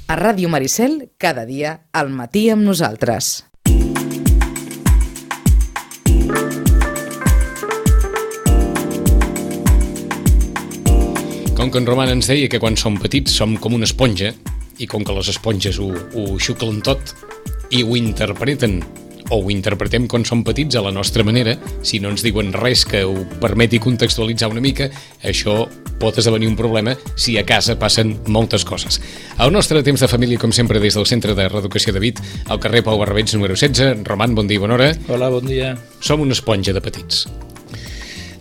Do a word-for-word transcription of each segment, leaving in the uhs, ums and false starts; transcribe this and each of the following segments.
A Ràdio Maricel, cada dia, al matí amb nosaltres. Com que en Roman ens deia que quan som petits som com una esponja, i com que les esponges ho, ho xuclen tot i ho interpreten, o ho interpretem quan som petits a la nostra manera, si no ens diuen res que ho permeti contextualitzar una mica, això pot esdevenir un problema si a casa passen moltes coses. El nostre temps de família, com sempre, des del Centre de Reeducació de Vit, al carrer Pau Barrabeig, número setze. Roman, bon dia i bona hora. Hola, bon dia. Som una esponja de petits.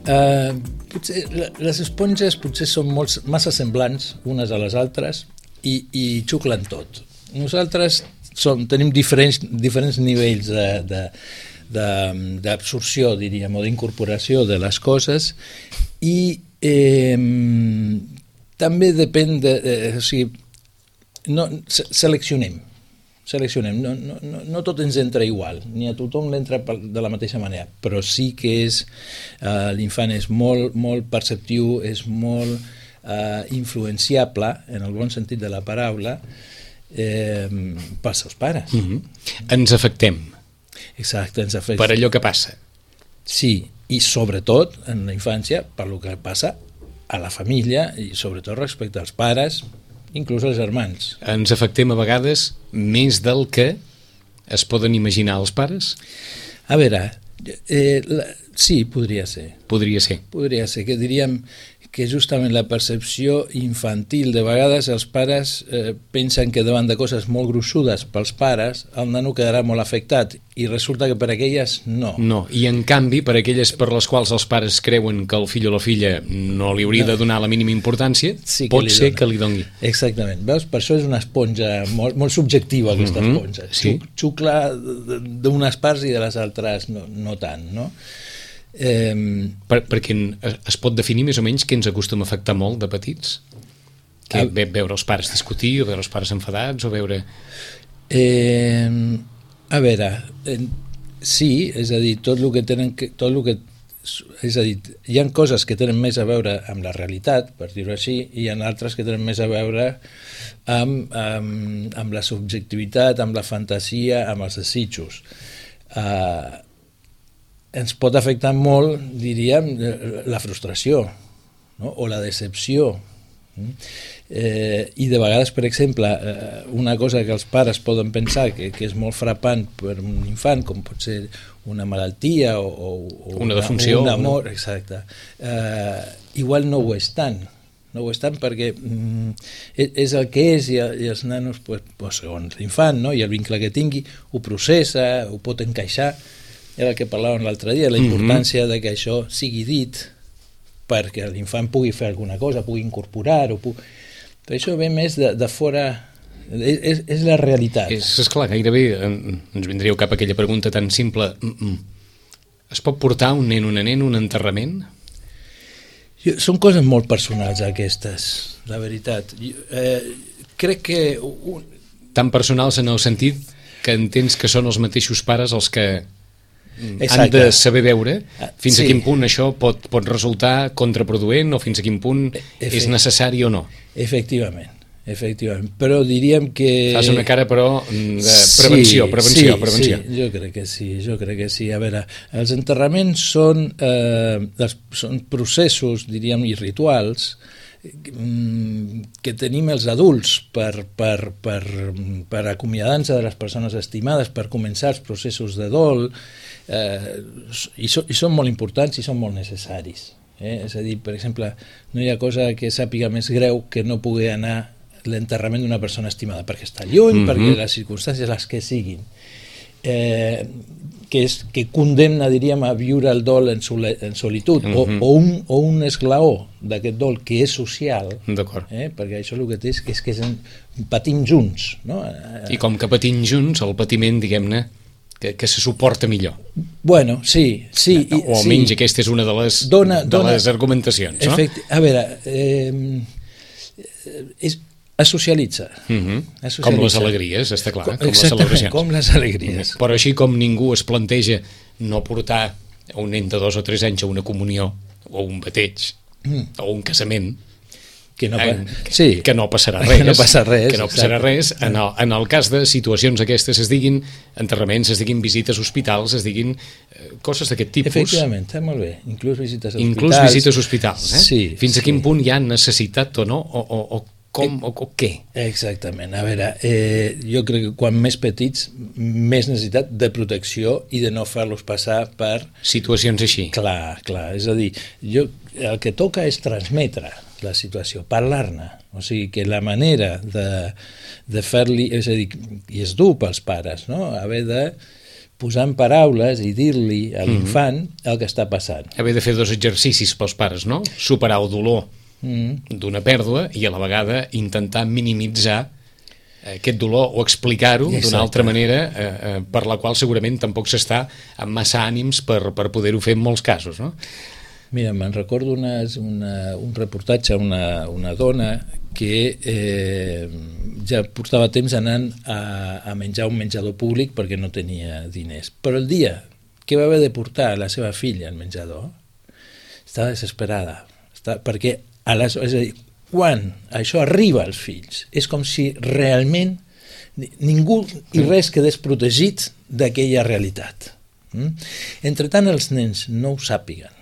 Uh, potser, les esponges potser són molt, massa semblants unes a les altres i, i xuclen tot. Nosaltres som, tenim diferents, diferents nivells de, de, de, d'absorció, diríem, o d'incorporació de les coses i eh, també depèn de... Eh, o sigui, no, seleccionem. Seleccionem. No, no, no, no tot ens entra igual, ni a tothom l'entra de la mateixa manera, però sí que és... Eh, l'infant és molt, molt perceptiu, és molt eh, influenciable, en el bon sentit de la paraula, Eh, pels seus pares. Mm-hmm. Ens afectem. Exacte, ens afectem. Per allò que passa. Sí, i sobretot en la infància per allò que passa a la família i sobretot respecte als pares, inclús als germans. Ens afectem a vegades més del que es poden imaginar els pares? A veure, eh, la, sí, podria ser. Podria ser. Podria ser, que diríem que justament la percepció infantil, de vegades els pares eh, pensen que davant de coses molt gruixudes pels pares, el nano quedarà molt afectat, i resulta que per aquelles no. No, i en canvi, per aquelles per les quals els pares creuen que el fill o la filla no li hauria no. de donar la mínima importància, sí pot ser dona. que li doni. Exactament, veus? Per això és una esponja molt, molt subjectiva, aquesta mm-hmm. esponja. Sí. Xucla d'unes parts i de les altres no, no tant, no? Eh, per, perquè es pot definir més o menys què ens acostuma a afectar molt de petits? Que a, veure els pares discutir, o veure els pares enfadats, o veure... Eh, a veure, eh, sí, és a dir, tot el que tenen... Que, tot el que, és a dir, hi ha coses que tenen més a veure amb la realitat, per dir-ho així, i hi ha altres que tenen més a veure amb, amb, amb la subjectivitat, amb la fantasia, amb els desitjos. Eh, ens pot afectar molt, diríem, la frustració, no? O la decepció. Eh, I de vegades, per exemple, eh, una cosa que els pares poden pensar que, que és molt frapant per un infant, com pot ser una malaltia o, o una defunció, un amor, exacte, eh, igual no ho és tant. No ho és tant perquè mm, és el que és i, i els nanos, pues, pues, segons l'infant, no? I el vincle que tingui, ho processa, ho pot encaixar. Era el que parlàvem l'altre dia, la importància mm-hmm. de que això sigui dit perquè l'infant pugui fer alguna cosa, pugui incorporar-ho. Pugui... Però això ve més de, de fora... És, és, és la realitat. És, esclar, gairebé ens vindríeu cap a aquella pregunta tan simple. Es pot portar un nen, una nena, un enterrament? Jo, són coses molt personals, aquestes, la veritat. Jo, eh, crec que... Un... Tan personals en el sentit que entens que són els mateixos pares els que... Exacte. Han de saber veure fins sí. a quin punt això pot, pot resultar contraproduent o fins a quin punt Efect... és necessari o no. Efectivament, efectivament. Però diríem que... Fas una cara, però, de prevenció, sí, prevenció, sí, prevenció. Sí, jo crec que sí, jo crec que sí. A veure, els enterraments són, eh, els, són processos, diríem, i rituals que tenim els adults per, per, per, per acomiadar-nos de les persones estimades, per començar els processos de dol, eh, i, so, i són molt importants i són molt necessaris. Eh? És a dir, per exemple, no hi ha cosa que sàpiga més greu que no pugui anar l'enterrament d'una persona estimada, perquè està lluny, mm-hmm. perquè les circumstàncies les que siguin. Eh, que, és, que condemna, diríem, a viure el dol en, soli, en solitud, mm-hmm. o, o, un, o un esglaó d'aquest dol que és social, eh, perquè això el que té és que, és que és en, patim junts. No? I com que patim junts, el patiment, diguem-ne, que, que se suporta millor. Bueno, sí. sí o, o almenys sí. Aquesta és una de les, dona, de dona, les argumentacions. No? Efecti- a veure, eh, és... es socialitza. Mm-hmm. es socialitza. Com les alegries, està clar. Com Exactament, les celebracions. com les alegries. Però així com ningú es planteja no portar un nen de dos o tres anys a una comunió o un bateig mm. o un casament, que no, pa... eh, sí. que no passarà res. Que no passa res. Que no passarà res. En el, en el cas de situacions aquestes es diguin enterraments, es diguin visites a hospitals, es diguin eh, coses d'aquest tipus. Efectivament, està molt bé. Inclús visites a Inclús hospitals. visites a hospitals. Eh? Sí, Fins sí. a quin punt hi ha necessitat o no, o, o, o com, o, o què? Exactament. A veure, eh, jo crec que quan més petits, més necessitat de protecció i de no fer-los passar per... Situacions així. Clar, clar. És a dir, jo, el que toca és transmetre la situació, parlar-ne. O sigui, que la manera de, de fer-li... És a dir, i és dur pels pares, no?, haver de posar en paraules i dir-li a l'infant mm-hmm. el que està passant. Haver de fer dos exercicis pels pares, no? Superar el dolor mm. d'una pèrdua i a la vegada intentar minimitzar aquest dolor o explicar-ho d'una altra manera eh, eh, per la qual segurament tampoc s'està amb massa ànims per, per poder-ho fer en molts casos, no? Mira, me'n recordo una, una, un reportatge a una, una dona que eh, ja portava temps anant a, a menjar un menjador públic perquè no tenia diners. Però el dia que va haver de portar la seva filla al menjador estava desesperada, està, perquè a les, és a dir, quan això arriba als fills és com si realment ningú i res quedés protegit d'aquella realitat. Mm? Entre tant els nens no ho sàpiguen,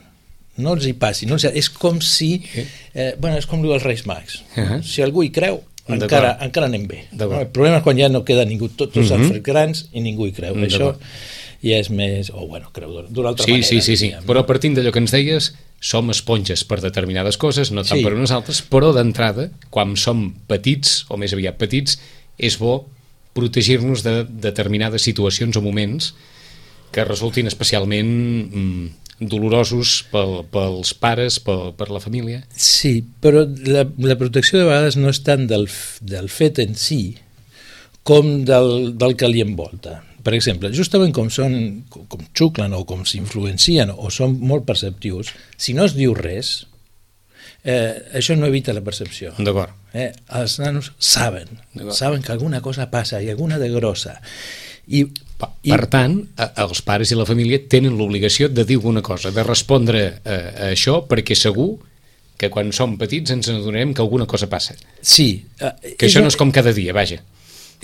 no els hi passi, no els hi... és com si eh, bueno, és com el dels Reis Mags. Uh-huh. Si algú hi creu encara, encara anem bé. No? El problema és quan ja no queda ningú, tots uh-huh. s'han fet grans i ningú hi creu. Això ja és més, o oh, bueno, creu d'una altra sí, manera. Sí, sí, sí, diguem. Però partint d'allò que ens deies, som esponges per determinades coses, no tant sí. per unes altres, però d'entrada, quan som petits, o més aviat petits, és bo protegir-nos de determinades situacions o moments que resultin especialment mm, dolorosos pel, pels pares, pel, per la família. Sí, però la, la protecció de vegades no és tant del, del fet en si com del, del que li envolta. Per exemple, justament com són, com xuclen o com s'influencien o són molt perceptius, si no es diu res, eh, això no evita la percepció. D'acord. Eh, els nanos saben, saben que alguna cosa passa i alguna de grossa. I, per, i... per tant, els pares i la família tenen l'obligació de dir alguna cosa, de respondre a, a això, perquè segur que quan som petits ens adonarem que alguna cosa passa. Sí. Eh, que això no és com cada dia, vaja.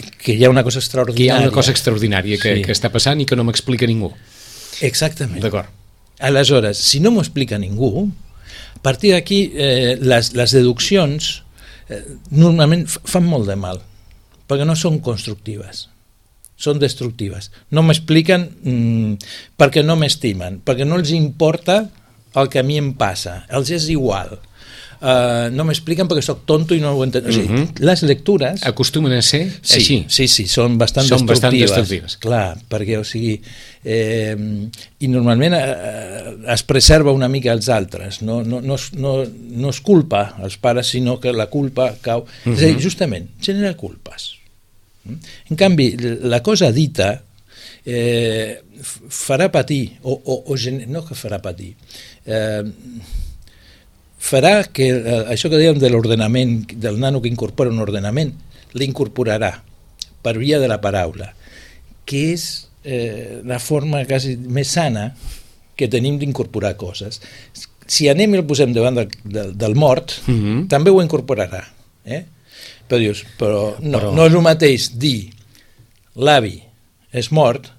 Que hi ha una cosa extraordinària. Que hi ha una cosa extraordinària que, sí. que està passant i que no m'explica ningú. Exactament. D'acord. Aleshores, si no m'ho explica ningú, a partir d'aquí eh, les, les deduccions eh, normalment fan molt de mal, perquè no són constructives, són destructives. No m'expliquen mm, perquè no m'estimen, perquè no els importa el que a mi em passa, els és igual. Uh, no m'expliquen perquè soc tonto i no ho entenc. O sigui, uh-huh. Les lectures... Acostumen a ser sí, així. Sí, sí, són bastant són destructives. Bastant destructives. Clar, perquè, o sigui... Eh, I normalment eh, es preserva una mica els altres. No, no, no, no, no es culpa als pares, sinó que la culpa cau... Uh-huh. És a dir, justament, genera culpes. En canvi, la cosa dita eh, farà patir, o, o, o no que farà patir... Eh, farà que eh, això que dèiem de l'ordenament, del nano que incorpora un ordenament, l'incorporarà per via de la paraula, que és eh, la forma quasi més sana que tenim d'incorporar coses. Si anem i el posem davant del, del, del mort, mm-hmm. també ho incorporarà. Eh? Però dius, però no, però no és el mateix dir l'avi és mort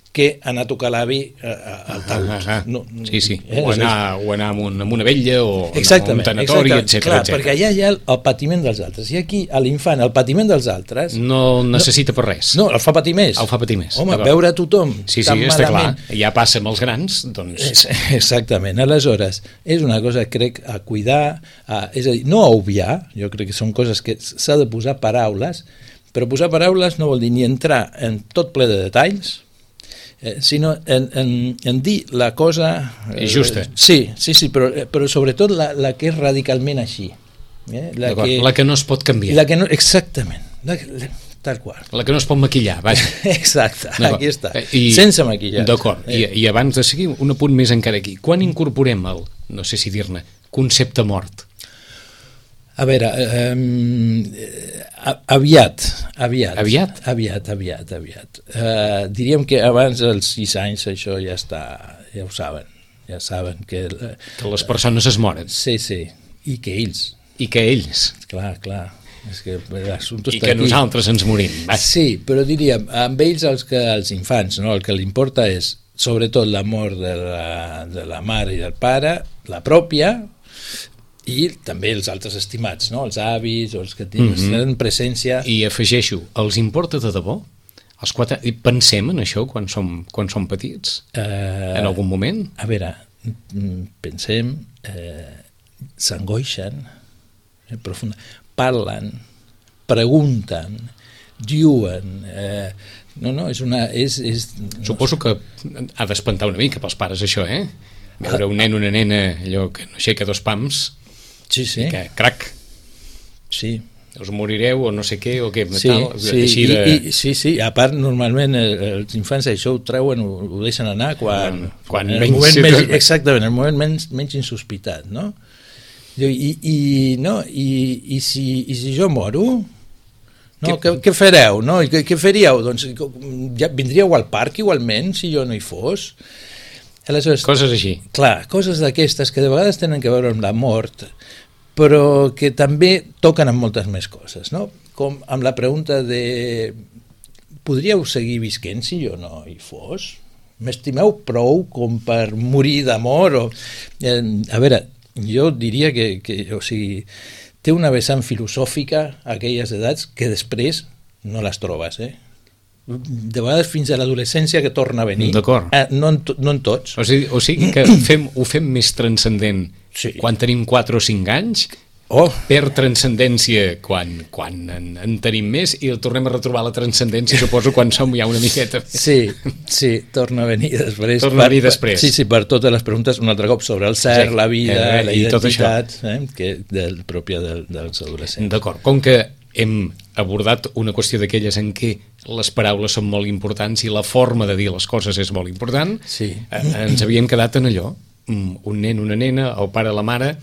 que anar a tocar l'avi al taüt. Ah, ah, no, sí, sí. Eh? O anar, o anar amb, un, amb una vetlla o exactament, un tanatori, etcètera. Clar, perquè allà hi ha el, el patiment dels altres. I aquí, a l'infant, el patiment dels altres... No necessita per res. No, el fa patir més. El fa patir més. Home, veure a tothom sí, sí, tan està malament... clar. Ja passa amb els grans, doncs... Exactament. Aleshores, és una cosa, crec, a cuidar, a, és a dir, no a obviar, jo crec que són coses que s'ha de posar paraules, però posar paraules no vol dir ni entrar en tot ple de detalls, Eh, sinó en, en, en dir la cosa... Eh, justa. Sí, sí, sí, però, però sobretot la, la que és radicalment així. Eh? La, que, la que no es pot canviar. La que no, exactament, la, la, tal qual. La que no es pot maquillar, vaja. Exacte, aquí està, I, sense maquillar. D'acord, eh. I, i abans de seguir, un apunt més encara aquí. Quan incorporem el, no sé si dir-ne, concepte mort? A veure, eh, aviat, aviat. Aviat? Aviat, aviat, aviat. Eh, diríem que abans dels sis anys això ja està, ja ho saben, ja saben que... Que les persones es moren. Sí, sí, i que ells i que ells. Clar, clar. És que l'assumpte I està que aquí. nosaltres ens morim. Va. Sí, però diríem, amb ells els, que, els infants, no? El que li importa és sobretot l'amor de la, de la mare i del pare, la pròpia, i també els altres estimats, no? Els avis o els que tenen mm-hmm. presència. I afegeixo, els importa de debò? Els quatre... I pensem en això quan som, quan som petits? Uh, en algun moment? A veure, pensem, eh, s'angoixen, eh, profunda, parlen, pregunten, diuen... Eh, no, no, és una... És, és, Suposo que ha d'espantar una mica pels pares això, eh? Veure un nen o una nena allò que no aixeca dos pams sí, sí. i que, crac, sí. us morireu o no sé què o què, sí, tal, sí, així de... I, i, sí, sí, a part normalment els infants això ho treuen, ho, ho deixen anar quan, quan, quan en el menys, moment menys, exactament, en el moment menys, menys insospitat, no? I, i, no, i, i, si, i si jo moro, no, què, què fareu? No? Què, què faríeu? Doncs ja vindríeu al parc igualment si jo no hi fos? Aleshores, coses així. Clar, coses d'aquestes que de vegades tenen que veure amb la mort, però que també toquen amb moltes més coses, no? Com amb la pregunta de podríeu seguir visquent si jo no hi fos? M'estimeu prou com per morir d'amor? O... Eh, a veure, jo diria que, que o sigui, té una vessant filosòfica a aquelles edats que després no les trobes, eh? De vegades fins a l'adolescència que torna a venir. D'acord. Eh, no, en to, no en tots. O sigui, o sigui que fem, ho fem més transcendent sí. quan tenim quatre o cinc anys, oh. per transcendència quan, quan en, en tenim més i el tornem a retrobar la transcendència, suposo, quan som ja una miqueta. Sí, sí, torna a venir després. Torna a venir després. Sí, sí, per totes les preguntes un altre cop sobre el cert, sí. la vida, eh, la identitat, eh, que del, pròpia del, dels adolescents. D'acord, com que hem abordat una qüestió d'aquelles en què les paraules són molt importants i la forma de dir les coses és molt important, sí. eh, ens havíem quedat en allò, un nen, una nena, el pare, la mare,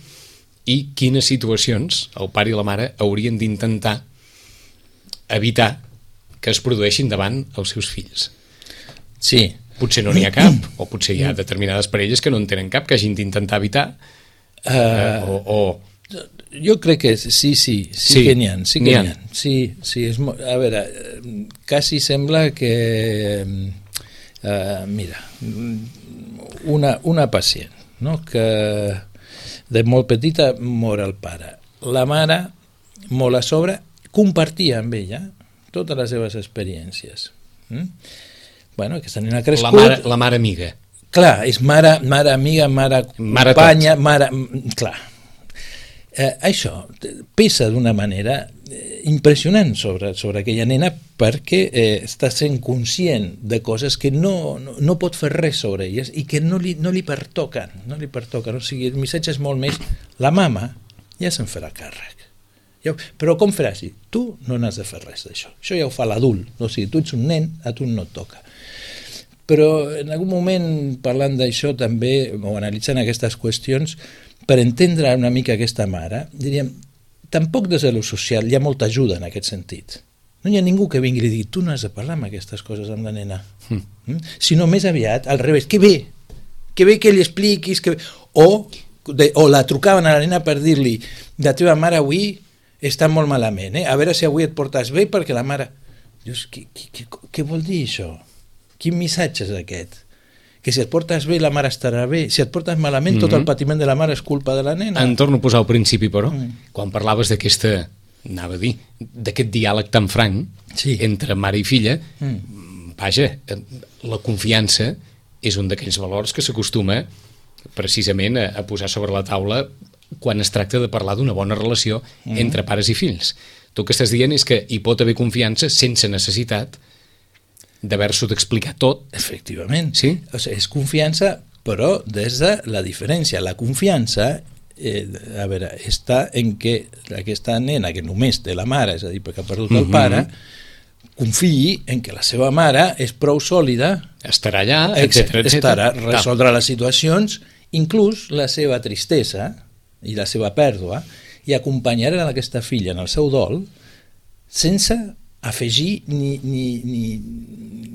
i quines situacions el pare i la mare haurien d'intentar evitar que es produeixin davant els seus fills. Sí. Potser no n'hi ha cap, o potser hi ha determinades parelles que no en tenen cap, que hagin d'intentar evitar, uh, eh, o... o jo crec que sí, sí, sí, sí que n'hi ha, sí que n'hi ha. Sí, sí, és molt, a veure, quasi sembla que, uh, mira, una, una pacient, no?, que de molt petita mor el pare. La mare, molt a sobre, compartia amb ella totes les seves experiències. Mm? Bueno, aquesta nena ha crescut... La mare, la mare amiga. Clar, és mare, mare amiga, mare, mare companya, tot. mare... Clar. Eh, això pesa d'una manera eh, impressionant sobre, sobre aquella nena perquè eh, està sent conscient de coses que no, no, no pot fer res sobre elles i que no li, no li pertoquen, no li pertoquen. O sigui, el missatge és molt més la mama ja se'n farà càrrec. Ja, però com faràs? Tu no n'has de fer res d'això. Això ja ho fa l'adult. O sigui, tu ets un nen, a tu no et toca. Però en algun moment, parlant d'això també, o analitzant aquestes qüestions, per entendre una mica aquesta mare, diríem, tampoc des de lo social hi ha molta ajuda en aquest sentit. No hi ha ningú que vingui i digui, tu no has de parlar amb aquestes coses amb la nena. Mm. Mm? Sinó més aviat, al revés, que bé, que bé que li expliquis, que bé. O, de, o la trucaven a la nena per dir-li, la teva mare avui està molt malament, eh? A veure si avui et portes bé, perquè la mare... Dius, què, què, què vol dir això? Quin missatge és aquest? Que si et portes bé la mare estarà bé, si et portes malament mm-hmm. tot el patiment de la mare és culpa de la nena. En torno a posar al principi, però, mm. quan parlaves d'aquesta, anava a dir, d'aquest diàleg tan franc sí. entre mare i filla, mm. vaja, la confiança és un d'aquells valors que s'acostuma precisament a, a posar sobre la taula quan es tracta de parlar d'una bona relació mm. entre pares i fills. Tu el que estàs dient és que hi pot haver confiança sense necessitat d'haver-s'ho d'explicar tot. Efectivament. Sí? O sigui, és confiança, però des de la diferència. La confiança, eh, a veure, està en que aquesta nena que només té la mare, és a dir, perquè ha perdut el mm-hmm. pare, confiï en que la seva mare és prou sòlida, estarà allà, etcètera, estarà a resoldre les situacions, inclús la seva tristesa i la seva pèrdua, i acompanyarà aquesta filla en el seu dol sense afegir ni, ni, ni,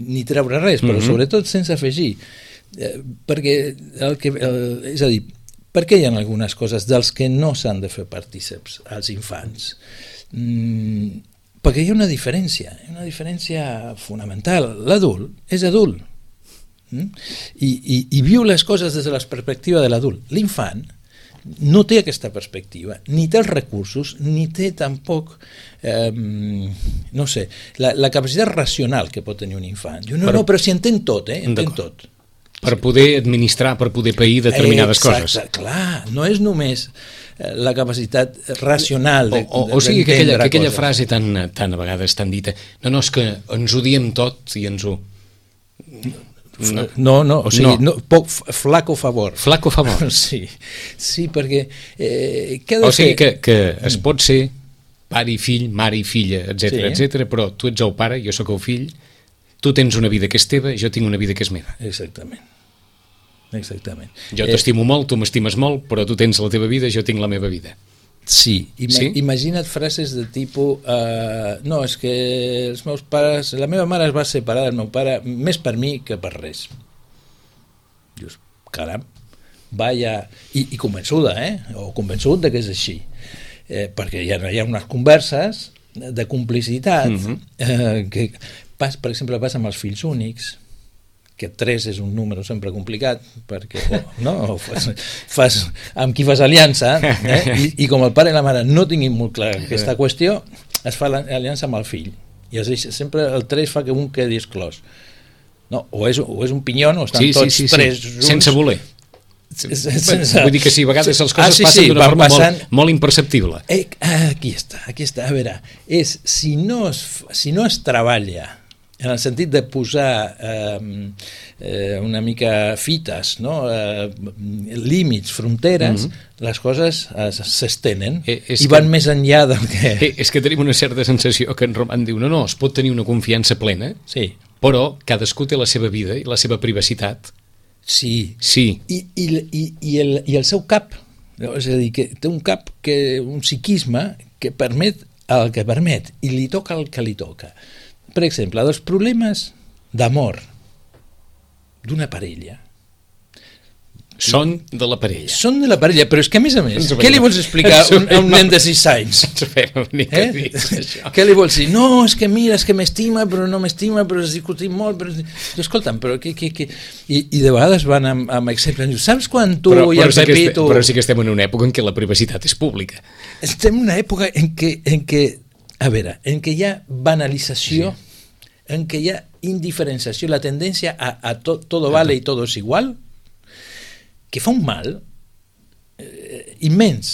ni treure res, però mm-hmm. sobretot sense afegir. Eh, perquè, el que, el, és a dir, Per què hi ha algunes coses dels que no s'han de fer partíceps als infants? Mm, perquè hi ha una diferència, una diferència fonamental. L'adult és adult mm? I, i, i viu les coses des de la perspectiva de l'adult. L'infant no té aquesta perspectiva, ni té els recursos, ni té tampoc, eh, no sé, la, la capacitat racional que pot tenir un infant. Jo, no, però, no, però si entén tot, eh? Entén tot. Per poder administrar, per poder pair determinades Exacte, coses. Clar, no és només la capacitat racional de, o, o, o sigui que aquella, que aquella frase tan, tan a vegades tan dita, no, no, és que ens ho diem tot i ens ho... No, no, no, o sigui, no. No, poc, flaco favor. Flaco favor. Sí, sí, perquè... Eh, què ha de o sigui fer? que, que es pot ser pare i fill, mare i filla, etcètera, sí. etcètera, però tu ets el pare, jo sóc el fill, tu tens una vida que és teva, jo tinc una vida que és meva. Exactament. Exactament. Jo eh, t'estimo molt, tu m'estimes molt, però tu tens la teva vida, jo tinc la meva vida. Sí, Ima sí? Imagina't frases de tipus uh, no, és que els meus pares, la meva mare es va separar del meu pare més per mi que per res. Dius, caram, vaya, i, i convençuda, eh? O convençut de que és així, eh, perquè hi ha, hi ha unes converses de complicitat mm-hmm. eh, que, pas, per exemple, passa amb els fills únics, que tres és un número sempre complicat, perquè oh, no, fas, fas, amb qui fas aliança, eh? I, i com el pare i la mare no tinguin molt clar aquesta qüestió, es fa l'aliança amb el fill, i es deixa, sempre el tres fa que un quedi exclòs. No, o, és, o és un pinyón, o estan sí, tots sí, sí, tres sí. junts. Sense voler. Sense... Vull dir que sí, a vegades les coses ah, sí, sí, passen d'una forma passant... molt, molt imperceptible. Eh, aquí està, aquí està, a veure, és, si, no es, si no es treballa en el sentit de posar eh, eh, una mica fites, no? eh, límits, fronteres, mm-hmm. les coses s'estenen eh, i van que, més enllà del que... Eh, és que tenim una certa sensació que en Roman diu no, no, es pot tenir una confiança plena, sí. però cadascú té la seva vida i la seva privacitat. Sí, sí. I, i, i, i, el, i el seu cap, és a dir, que té un cap, que un psiquisme que permet el que permet i li toca el que li toca. Per exemple, dels problemes d'amor d'una parella. Són de la parella. Són de la parella, però és que a més a més, què li vols explicar a un, a un nen de sis anys? Eh? Què li vols dir? No, és que mira, és que m'estima, però no m'estima, però es discutim molt, però... Escolta'm, però què... què, què? I, I de vegades van amb, amb exemples, saps quan tu però, i el sí Pepito... Però sí que estem en una època en què la privacitat és pública. Estem en una època en què... En què A veure, en què hi ha banalització, sí. en què hi ha indiferenciació, la tendència a, a to, todo vale i todo es igual, que fa un mal eh, immens,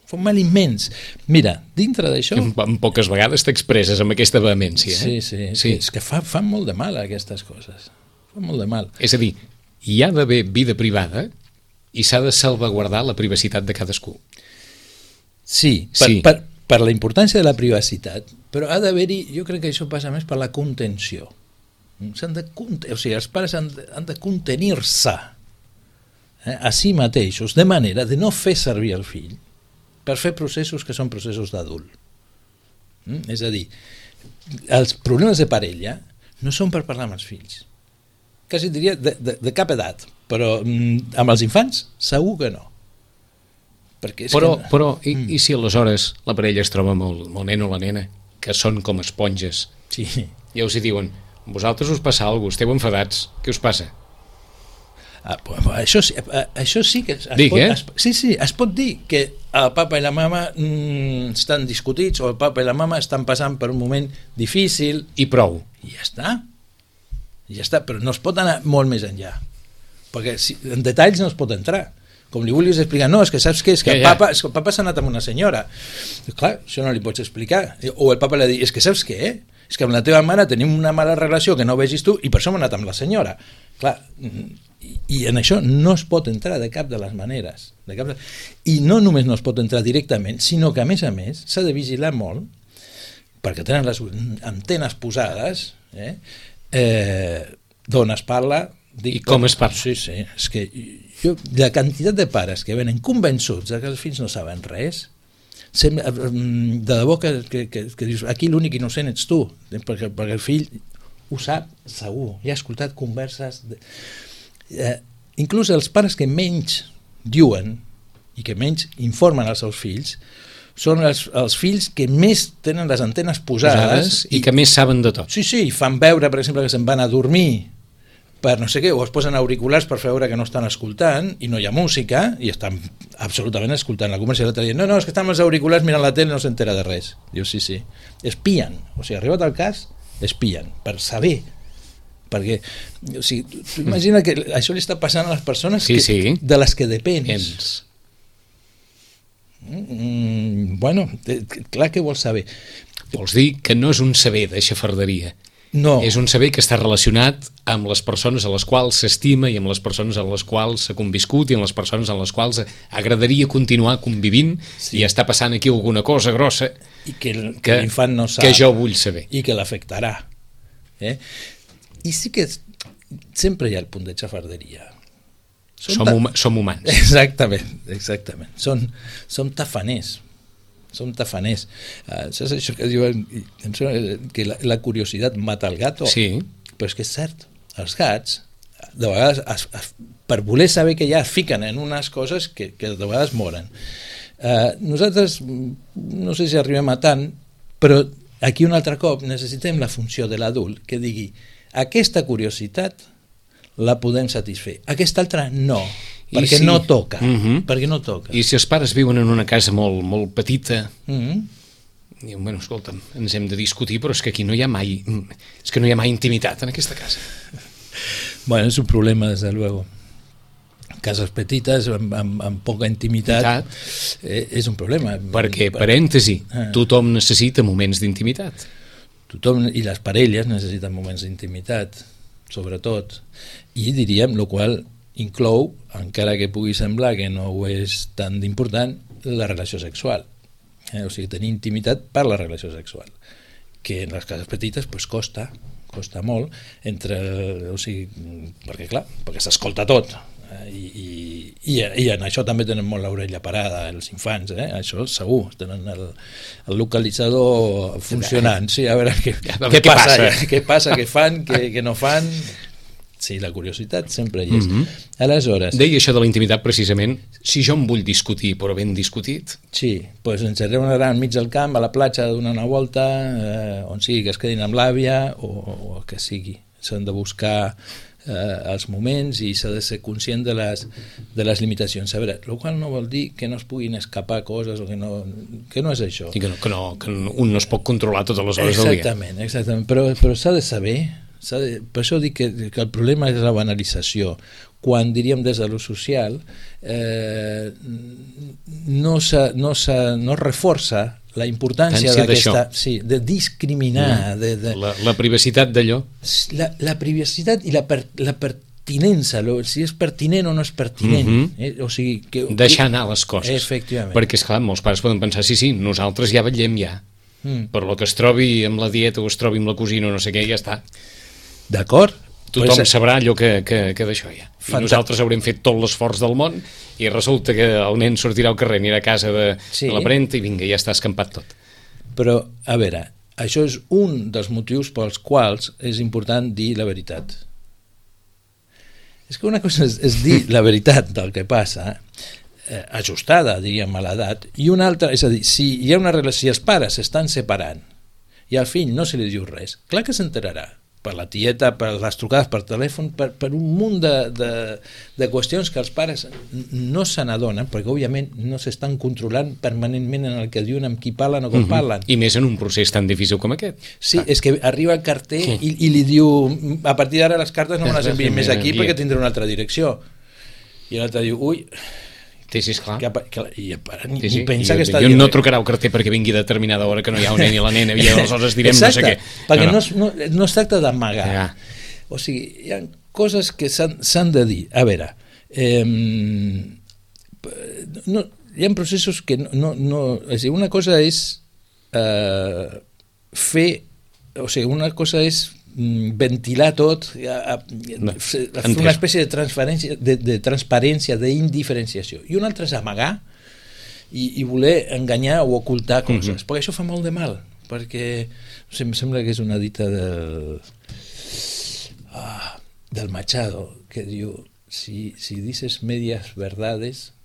fa un mal immens. Mira, dintre d'això... En, en poques vegades t'expresses amb aquesta vehemència. Eh? Sí, sí, sí, és que fa, fa molt de mal aquestes coses, fa molt de mal. És a dir, hi ha d'haver vida privada i s'ha de salvaguardar la privacitat de cadascú. Sí, per, sí. per, per la importància de la privacitat, però ha d'haver-hi, jo crec que això passa més per la contenció. S'han de, o sigui, els pares han de, han de contenir-se eh, a si mateixos, de manera de no fer servir el fill per fer processos que són processos d'adult. Mm? És a dir, els problemes de parella no són per parlar amb els fills. Quasi diria de, de, de cap edat, però mm, amb els infants segur que no. És però, que... però i, mm. i si aleshores la parella es troba amb el, amb el nen o la nena, que són com esponges, sí. i us hi diuen, vosaltres us passa alguna cosa, esteu enfadats, què us passa? Ah, però això, això sí que es, es Dic, pot, eh? es, sí, sí, es pot dir que el papa i la mama mm, estan discutits o el papa i la mama estan passant per un moment difícil i prou, i ja està, I ja està, però no es pot anar molt més enllà, perquè si, en detalls no es pot entrar. Com li vulguis explicar, no, és que saps què? És que el papa, és que el papa s'ha anat amb una senyora. I, clar, això no li pots explicar. O el papa li ha dit, és que saps què? És que amb la teva mare tenim una mala relació que no vegis tu i per això hem anat amb la senyora. Clar, i, i en això no es pot entrar de cap de les maneres. De cap de... I no només no es pot entrar directament, sinó que a més a més s'ha de vigilar molt, perquè tenen les antenes posades, eh? Eh, d'on es parla... Dic, I com es parla? Sí, sí, és que jo, la quantitat de pares que venen convençuts que els fills no saben res, sembla, de debò que, que, que, que dius, aquí l'únic innocent ets tu, perquè, perquè el fill ho sap segur, ja ha escoltat converses de... eh, inclús els pares que menys diuen i que menys informen als seus fills són els, els fills que més tenen les antenes posades, posades i, i que més saben de tot. Sí, sí, fan veure, per exemple, que se'n van a dormir per no sé què, o es posen auriculars per veure que no estan escoltant i no hi ha música i estan absolutament escoltant la conversa. L'altre dia, no, no, és que estan els auriculars mirant la tele i no s'entera de res. Diu, sí, sí, espien, o sigui, arribat al cas, espien, per saber, perquè, o sigui, tu, tu imagina que això li està passant a les persones sí, que, sí. de les que depens. Ens. Mm, bueno, clar que vols saber. Vols dir que no és un saber de xafarderia. No. És un saber que està relacionat amb les persones a les quals s'estima i amb les persones a les quals s'ha conviscut i amb les persones a les quals agradaria continuar convivint, sí. I està passant aquí alguna cosa grossa i que, el, que l'infant no sap que jo vull saber i que l'afectarà. Eh? I sí que sempre hi ha el punt de xafarderia. Som, hum som humans. Exactament, exactament. Som, som tafaners. Som tafaners. Uh, saps això que diuen que la, la curiositat mata el gato? Sí. Però és que és cert. Els gats, de vegades, es, es, per voler saber que ja es fiquen en unes coses que, que de vegades moren. Uh, nosaltres, no sé si arribem a tant, però aquí un altre cop necessitem la funció de l'adult que digui aquesta curiositat la podem satisfer. Aquesta altra no, perquè sí. no toca. Uh-huh. Perquè no toca. I si els pares viuen en una casa molt, molt petita, uh-huh. diuen, bueno, escolta'm, ens hem de discutir, però és que aquí no hi ha mai, és que no hi ha mai intimitat en aquesta casa. Bueno, és un problema, des de luego. Cases petites, amb, amb, amb poca intimitat, eh, és un problema. Perquè, parèntesi, ah. tothom necessita moments d'intimitat. Tothom, i les parelles necessiten moments d'intimitat, sobretot, i diríem, el qual inclou, encara que pugui semblar que no ho és tan important, la relació sexual. Eh? O sigui, tenir intimitat per la relació sexual, que en les cases petites pues, costa, costa molt, entre, o sigui, perquè clar, perquè s'escolta tot, eh? I, i, i, i en això també tenen molt l'orella parada els infants, eh? Això segur, tenen el, el localitzador funcionant, sí, a veure què, a veure, què, què passa, passa? què passa, què fan, què, què no fan. Sí, la curiositat sempre hi és. Mm-hmm. Aleshores... Deia això de la intimitat precisament, si jo em vull discutir, però ben discutit... Sí, doncs ens reunirà enmig del camp, a la platja, a donar una volta, eh, on sigui que es quedin amb l'àvia, o, o el que sigui. S'han de buscar eh, els moments i s'ha de ser conscient de les, de les limitacions. A veure, el qual no vol dir que no es puguin escapar coses o que no, que no és això. I que, no, que, no, que un no es pot controlar totes les hores del dia. Exactament, exactament. Però, però s'ha de saber... De, per això dic que, que el problema és la banalització. Quan diríem des de lo social eh, no, se, no, se, no reforça la importància d'aquesta, sí, de discriminar, de, de, la, la privacitat d'allò, la, la privacitat i la, per, la pertinença, lo, si és pertinent o no és pertinent, mm-hmm. eh? O sigui, que, deixar anar les coses. Efectivament. Perquè esclar, molts pares poden pensar, sí, sí, nosaltres ja vetllem ja, mm. per lo que es trobi amb la dieta o es trobi amb la cosina o no sé què, ja està. D'acord? Tothom pues, sabrà allò que, que, que d'això hi ha. I nosaltres haurem fet tot l'esforç del món i resulta que el nen sortirà al carrer, anirà a casa de, sí. de la parenta i vinga, ja està escampat tot. Però, a veure, això és un dels motius pels quals és important dir la veritat. És que una cosa és, és dir la veritat del que passa, eh, ajustada, diríem, a l'edat, i una altra, és a dir, si hi ha una relació, si els pares s'estan separant i al fill no se li diu res, clar que s'enterarà. Per la tieta, per les trucades per telèfon, per, per un munt de, de, de qüestions que els pares no se n'adonen, perquè òbviament no s'estan controlant permanentment en el que diuen, amb qui parlen o com uh-huh. parlen. I més en un procés tan difícil com aquest. Sí, ah. és que arriba el carter sí. i, i li diu, a partir d'ara les cartes no me les envien més aquí perquè tindré una altra direcció. I l'altre diu, ui... Sí, sí, esclar. Que, que, i, ni, sí, sí. ni pensa I, que està jo dient... no trucarà el carter perquè vingui a determinada hora que no hi ha un nen i la nena i aleshores direm exacte, no sé què. Perquè no, no. No, no, no es tracta d'amagar. Ja. O sigui, hi ha coses que s'han de dir. A veure, eh, no, hi ha processos que no... no, no és a dir, una cosa és eh, fer... O sigui, una cosa és ventilar tot, a, a, no, a fer una espècie de transparència, de, de transparència, d'indiferenciació. I un altre és amagar i, i voler enganyar o ocultar coses. Mm-hmm. Perquè això fa molt de mal. Perquè, no sé, em sembla que és una dita del, ah, del Machado, que diu, si, si dices medias verdades,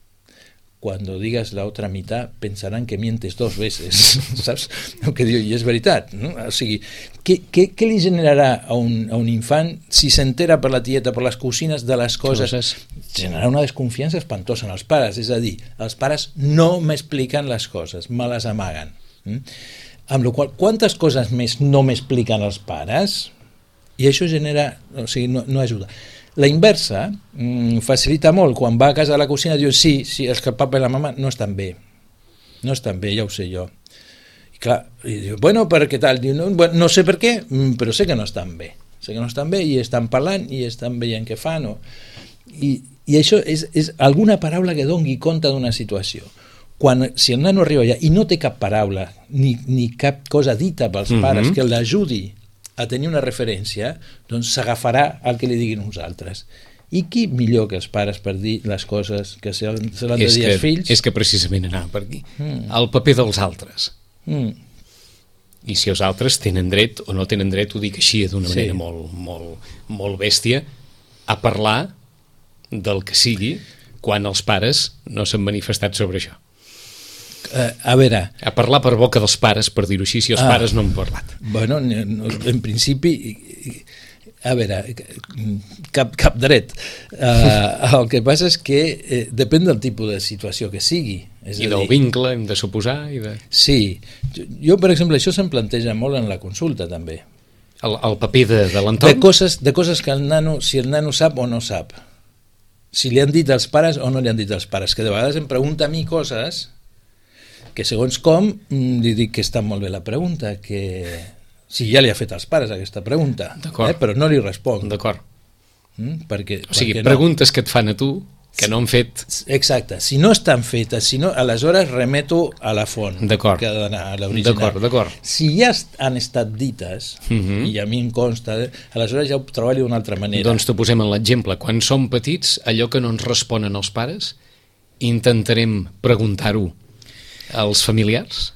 cuando digas la otra mitad pensarán que mientes dos veces, saps? El que diu, i és veritat, no? O sigui, què, què, què li generarà a un, a un infant si s'entera per la tieta, per les cosines de les coses? Coses. Generarà una desconfiança espantosa en els pares, és a dir, els pares no m'expliquen les coses, me les amaguen. Mm? Amb la qual cosa, quantes coses més no m'expliquen els pares? I això genera, o sigui, no, no ajuda. La inversa mmm, facilita molt. Quan va a casa de la cosina diu sí, sí, és que el papa i la mama no estan bé. No estan bé, ja ho sé jo. I clar, i diu, bueno, per què tal? Diu, no, bueno, no sé per què, però sé que no estan bé. Sé que no estan bé i estan parlant i estan veient què fan. O... I, I això és, és alguna paraula que doni compte d'una situació. Quan, si el nano arriba allà i no té cap paraula ni, ni cap cosa dita pels mm-hmm. pares que l'ajudi a tenir una referència, doncs s'agafarà al que li diguin uns altres. I qui millor que els pares per dir les coses que se l'han de dir als fills? És que precisament anava per aquí. Mm. El paper dels altres. Mm. I si els altres tenen dret o no tenen dret, ho dic així d'una manera sí. molt, molt, molt bèstia, a parlar del que sigui quan els pares no s'han manifestat sobre això. Uh, a veure... A parlar per boca dels pares, per dir-ho així, si els ah, pares no han parlat. Bueno, en principi, a veure, cap, cap dret. Uh, el que passa és que eh, depèn del tipus de situació que sigui. És I del dir, vincle, hem de suposar. I de... Sí. Jo, per exemple, això se'm planteja molt en la consulta, també. El, el paper de, de l'entorn? De coses, de coses que el nano, si el nano sap o no sap. Si li han dit als pares o no li han dit als pares. Que de vegades em pregunta a mi coses... que segons com, li dic que està molt bé la pregunta, que si ja li ha fet als pares aquesta pregunta, eh, però no li responc. D'acord. Mm, perquè, o sigui, perquè preguntes no. que et fan a tu, que no han fet... Exacte. Si no estan fetes, si no, aleshores remeto a la font, d'acord. Que ha d'anar a l'original. D'acord, d'acord. Si ja han estat dites, uh-huh. i a mi em consta, aleshores ja ho treballo d'una altra manera. Doncs t'ho posem en l'exemple. Quan som petits, allò que no ens responen els pares, intentarem preguntar-ho als familiars?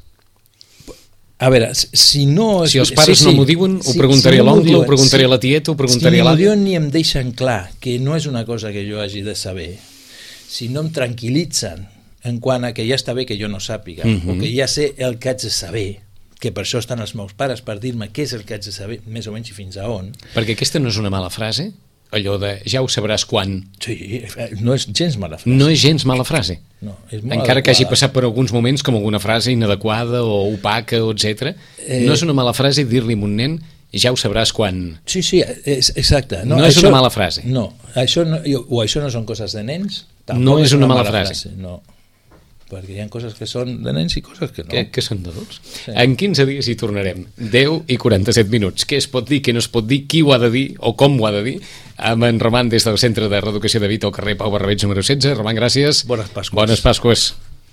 A veure, si no... Si els pares sí, sí. no m'ho diuen, ho preguntaré si no a l'oncle, ho preguntaré si, a la tieta, ho preguntaré si a l'àvia. Si no m'ho diuen ni em deixen clar que no és una cosa que jo hagi de saber, si no em tranquil·litzen en quant a que ja està bé que jo no sàpiga, uh-huh. o que ja sé el que haig de saber, que per això estan els meus pares, per dir-me què és el que haig de saber, més o menys i fins a on. Perquè aquesta no és una mala frase, allò de ja ho sabràs quan. Sí, no és gens mala frase. No és gens mala frase. No, és molt encara adequada. Que hagi passat per alguns moments com alguna frase inadequada o opaca, o etcètera. Eh... No és una mala frase dir-li a un nen ja ho sabràs quan. Sí, sí, és, exacte. No, no és això, una mala frase. No, això no, o això no són coses de nens. No és una, una mala, mala frase. frase. No, perquè hi ha coses que són de nens i coses que no. Que, que són d'adults. Sí. En quinze dies hi tornarem. deu i quaranta-set minuts. Què es pot dir, què no es pot dir, qui ho ha de dir o com ho ha de dir, amb en Roman des del Centre de Reeducació de Vita al carrer Pau Barrabets número setze. Roman, gràcies. Bones Pasques. Bones Pasques.